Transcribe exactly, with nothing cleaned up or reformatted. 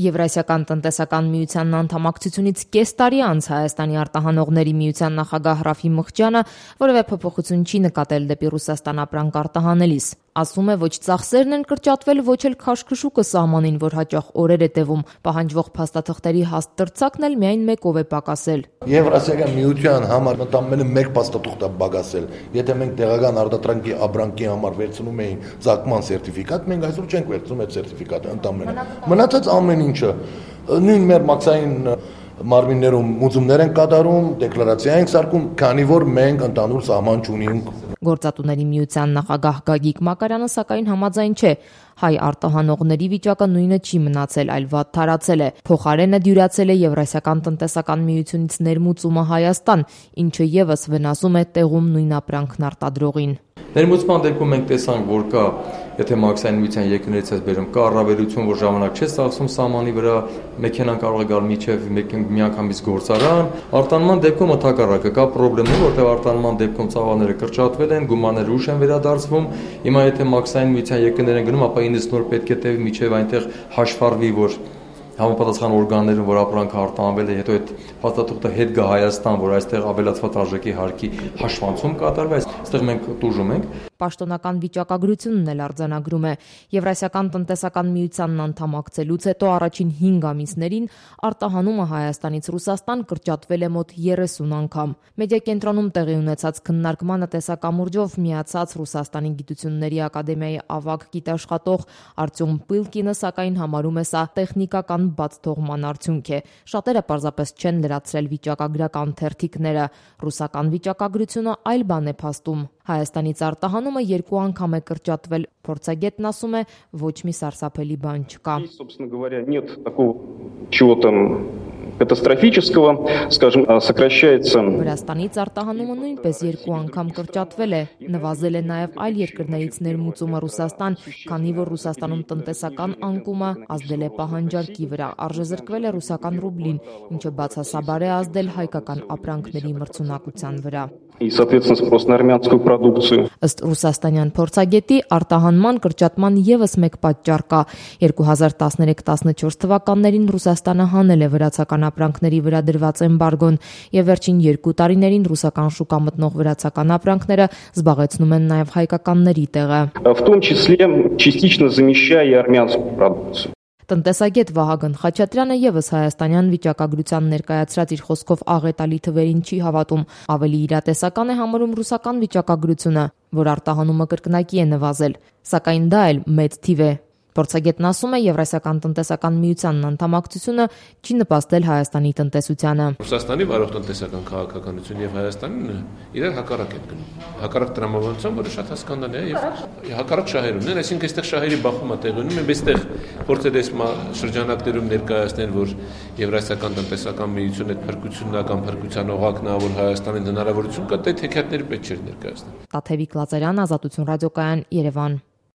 Եվրասիական տնտեսական միության անդամակցությունից կես տարի անց Հայաստանի արտահանողների միության նախագահ Ռաֆի Մղջյանը որևէ փոփոխություն չի նկատել դեպի Ռուսաստան ապրանք արտահանելիս։ Ասում է, ոչ ծախսերն են կրճատվել, ոչ էլ քաշքշուկը սահմանին, որ հաճախ օրեր է տևում։ Պահանջվող փաստաթղթերի հաստ տրցակն էլ միայն մեկով է պակասել։ Եվրասիական միության համար մտամելը մեկ փաստաթուղթ է պակասել։ Եթե մենք տեղական արտադրանքի ապրանքի համար վերցնում էինք ծագման սերտիֆիկատ, մենք այսօր չենք վերցնում այդ սերտիֆիկատը ընդամենը։ Մնացած ամեն ինչը նույն մեր մաքսային մարմիններում մուծումներ են կատարում, դեկլարացիա ենք սարքում, քանի որ մենք ընդհանուր սահման չունենք։ Գործատուների միության նախագահ Գագիկ Մակարյանը սակայն համաձայն չէ։ Հայ արտահանողների վիճակը նույնը չի մնացել, այլ վատ թարացել է։ Փոխարենը դյուրացել է Եվրասիական տնտեսական միությունից ներմուծումը Հայաստան, ինչը եւս վնասում է տեղում նույն ապրանքն արտադրողին։ Ներմուծման դեպքում մենք տեսանք, որ կա, եթե մաքսային միության երկրներից ես բերում, կա առավելություն, որ ժամանակ չէ ծախսում սահմանի վրա, մեքենան կարող է գալ միջև միանգամից գործարան։ Արտանման դեպքում ընդհակառակը կա խնդիրներ, որտեղ արտանման դեպքում ծավալները կրճատվել են, գումարները ուշ են վերադարձվում։ Հիմա եթե մաքսային միության երկրներ են գնում, ապա ինձ նոր պետք է տևի միջև այնտեղ հաշվառվի, որ համապատասխան օրգաններում, որ ապրանքը արտահանվել է, հետո այդ փաստաթուղթը հետ գա Հայաստան, որ այստեղ ավելացված արժեքի հարկի հաշվանցում կատարվի, այստեղ մենք տուժում ենք։ Պաշտոնական վիճակագրությունն էլ արձանագրում է Եվրասիական տնտեսական միությանն անդամակցելուց հետո առաջին հինգ ամիսներին արտահանումը Հայաստանից Ռուսաստան կրճատվել է մոտ երեսուն անգամ։ Մեդիակենտրոնում տեղի ունեցած քննարկմանը տեսակամուրջով միացած Ռուսաստանի գիտությունների ակադեմիայի ավագ գիտաշխատող Արտյոմ Պիլկինը սակայն համարում է սա տեխնիկական բաց թողման արդյունք է։ Շատերը պարզապես չեն լրացրել վիճակագրական թերթիկները։ Ռուսական վիճակագրությունը այլ բան է փաստում։ Հայաստանից արտահանումը երկու անգամ է կրճատվել։ Փորձագետն ասում է, ոչ մի սարսափելի բան չկա։ Катастрофического, скажем, сокращается. Վրաստանից արտահանումը նույնպես երկու անգամ կրճատվել է։ Նվազել է նաև այլ երկրներից ներմուծումը Ռուսաստան, քանի որ Ռուսաստանում տնտեսական անկումը ազդել է պահանջարկի վրա, արժեզրկվել է ռուսական ռուբլին, ինչը բացասաբար է ազդել հայկական ապրանքների մրցունակության վրա։ И, соответственно, спрос на армянскую продукцию. Ըստ ռուսաստանյան փորձագետի, արտահանման կրճատման եւս մեկ պատճառ կա։ երկու հազար տասներեք տասնչորս թվականներին Ռուսաստանը հանել է վրացական ապրանքների վրա դրված էմբարգոն, եւ վերջին երկու տարիներին ռուսական շուկա մտնող վրացական ապրանքները զբաղեցնում են նաեւ հայկականների տեղը, В том числе частично замещая и армянскую продукцию. Տնտեսագետ Վահագն Խաչատրյանը եւս հայաստանյան վիճակագրության ներկայացրած իր խոսքով աղետալի թվերին չի հավատում, ավելի իրատեսական է համարում ռուսական վիճակագրությունը, որ արտահանումը կրկնակի է նվազել, սակայն դա էլ մեծ թիվ է։ Փորձագետն ասում է, Եվրասիական տնտեսական միությանն անդամակցությունը չի նպաստել Հայաստանի տնտեսությանը։ Ռուսաստանի վարող տնտեսական քաղաքականություն եւ Հայաստանն իրար հակառակ են գնում։ Հակառակ տրամաբանության, որը շատ հասկանալի է, եւ հակառակ շահերումն են, այսինքն այստեղ շահերի բախումը տեղի ունի, մենք այստեղ փորձել ենք շրջանակներում ներկայացնել, որ Եվրասիական տնտեսական միությունը այդ փրկությունական փրկության օղակն է, որ Հայաստանին հնարավորություն կա, դա թեքատների պետք չէ ներկայացնել։ Տաթևիկ Լազարյան, Ազատություն ռադիոկայան, Երևան։